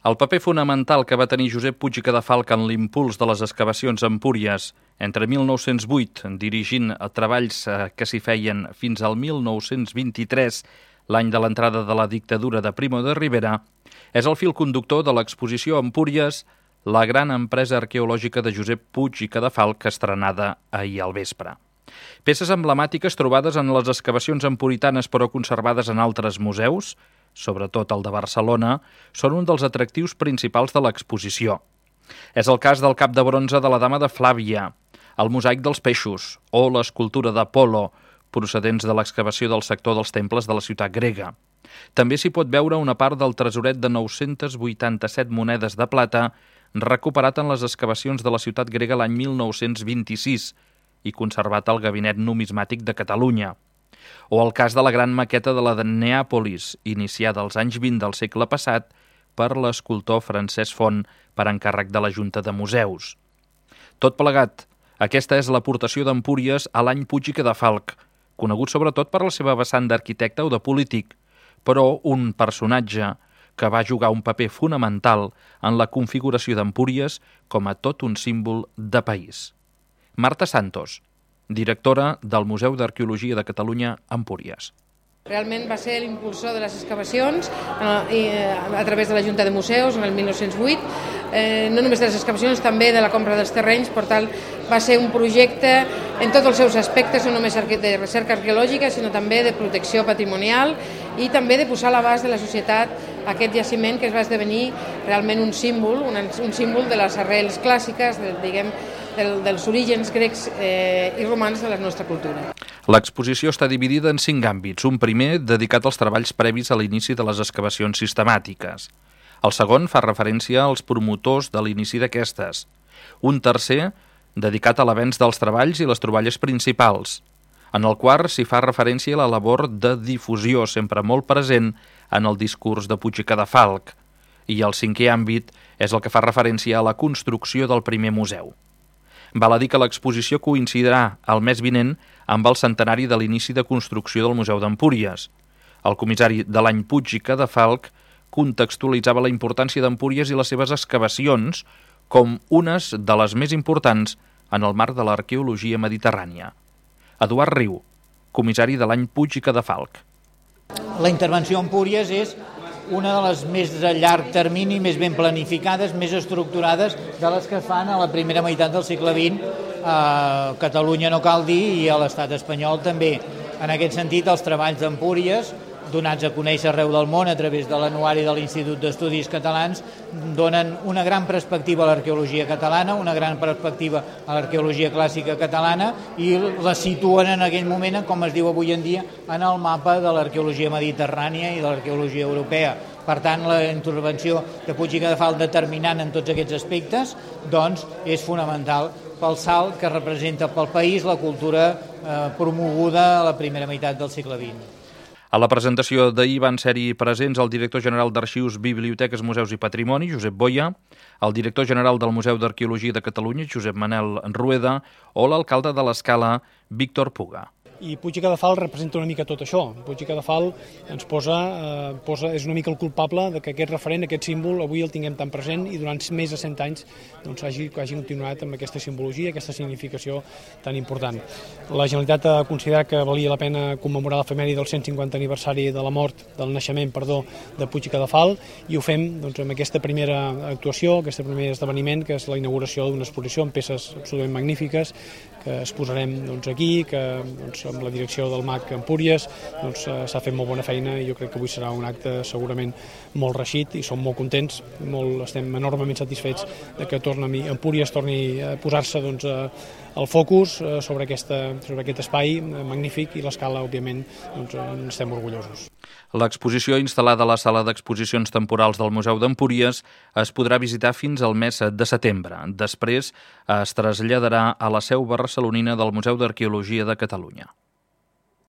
El paper fonamental que va tenir Josep Puig i Cadafalch en l'impuls de les excavacions a Empúries entre 1908, dirigint treballs que s'hi feien fins al 1923, l'any de l'entrada de la dictadura de Primo de Rivera, és el fil conductor de l'exposició Empúries, la gran empresa arqueològica de Josep Puig i Cadafalch, estrenada ahir al vespre. Peces emblemàtiques trobades en les excavacions empuritanes però conservades en altres museus, sobretot el de Barcelona, són un dels atractius principals de l'exposició. És el cas del cap de bronze de la Dama de Flàvia, el mosaic dels peixos o l'escultura d'Apol·lo, procedents de l'excavació del sector dels temples de la ciutat grega. També s'hi pot veure una part del tresoret de 987 monedes de plata recuperat en les excavacions de la ciutat grega l'any 1926 i conservat al Gabinet Numismàtic de Catalunya. O el cas de la gran maqueta de la de Neàpolis, iniciada als anys 20 del segle passat per l'escultor Francesc Font per encàrrec de la Junta de Museus. Tot plegat, aquesta és l'aportació d'Empúries a l'any Puig i Cadafalch, conegut sobretot per la seva vessant d'arquitecte o de polític, però un personatge que va jugar un paper fonamental en la configuració d'Empúries com a tot un símbol de país. Marta Santos, directora del Museu d'Arqueologia de Catalunya, Empúries. Realment va ser l'impulsor de les excavacions a través de la Junta de Museus en el 1908, no només de les excavacions, també de la compra dels terrenys. Per tant, va ser un projecte en tots els seus aspectes, no només de recerca arqueològica, sinó també de protecció patrimonial i també de posar a l'abast de la societat aquest jaciment que es va esdevenir realment un símbol de les arrels clàssiques, dels orígens grecs i romans de la nostra cultura. L'exposició està dividida en 5 àmbits. Un primer dedicat als treballs previs a l'inici de les excavacions sistemàtiques. El segon fa referència als promotors de l'inici d'aquestes. Un tercer dedicat a l'avenç dels treballs i les troballes principals. En el quart s'hi fa referència a la labor de difusió, sempre molt present en el discurs de Puig i Cadafalch. I el cinquè àmbit és el que fa referència a la construcció del primer museu. Val a dir que l'exposició coincidirà el mes vinent amb el centenari de l'inici de construcció del Museu d'Empúries. El comissari de l'any Puig i Cadafalch contextualitzava la importància d'Empúries i les seves excavacions com unes de les més importants en el marc de l'arqueologia mediterrània. Eduard Riu, comissari de l'any Puig i Cadafalch. La intervenció a Empúries és una de les més a llarg termini, més ben planificades, més estructurades de les que es fan a la primera meitat del segle XX a Catalunya, no cal dir, i a l'estat espanyol també. En aquest sentit, els treballs d'Empúries, donats a conèixer arreu del món a través de l'anuari de l'Institut d'Estudis Catalans, donen una gran perspectiva a l'arqueologia catalana, una gran perspectiva a l'arqueologia clàssica catalana i la situen en aquell moment, com es diu avui en dia, en el mapa de l'arqueologia mediterrània i de l'arqueologia europea. Per tant, la intervenció de Puig i Cadafalch determinant en tots aquests aspectes doncs, és fonamental pel salt que representa pel país la cultura promoguda a la primera meitat del segle XX. A la presentació d'ahir van ser-hi presents el director general d'Arxius, Biblioteques, Museus i Patrimoni, Josep Boia, el director general del Museu d'Arqueologia de Catalunya, Josep Manel Rueda, o l'alcalde de l'Escala, Víctor Puga. I Puig i Cadafalch representa una mica tot això. Puig i Cadafalch ens és una mica el culpable de que aquest referent, aquest símbol, avui el tinguem tan present i durant més de 100 anys doncs, hagi continuat amb aquesta simbologia, aquesta significació tan important. La Generalitat ha considerat que valia la pena commemorar l'efemèride del 150 aniversari de la mort, del naixement, de Puig i Cadafalch, i ho fem doncs, amb aquesta primera actuació, aquest primer esdeveniment, que és la inauguració d'una exposició amb peces absolutament magnífiques que exposarem doncs, aquí, que doncs, amb la direcció del MAC Empúries s'ha fet molt bona feina i jo crec que avui serà un acte segurament molt reeixit i som molt contents, estem enormement satisfets de que Empúries torni a posar-se el focus sobre aquest espai magnífic i l'Escala, òbviament, estem orgullosos. L'exposició instal·lada a la sala d'exposicions temporals del Museu d'Empúries es podrà visitar fins al mes de setembre. Després es traslladarà a la seu barcelonina del Museu d'Arqueologia de Catalunya.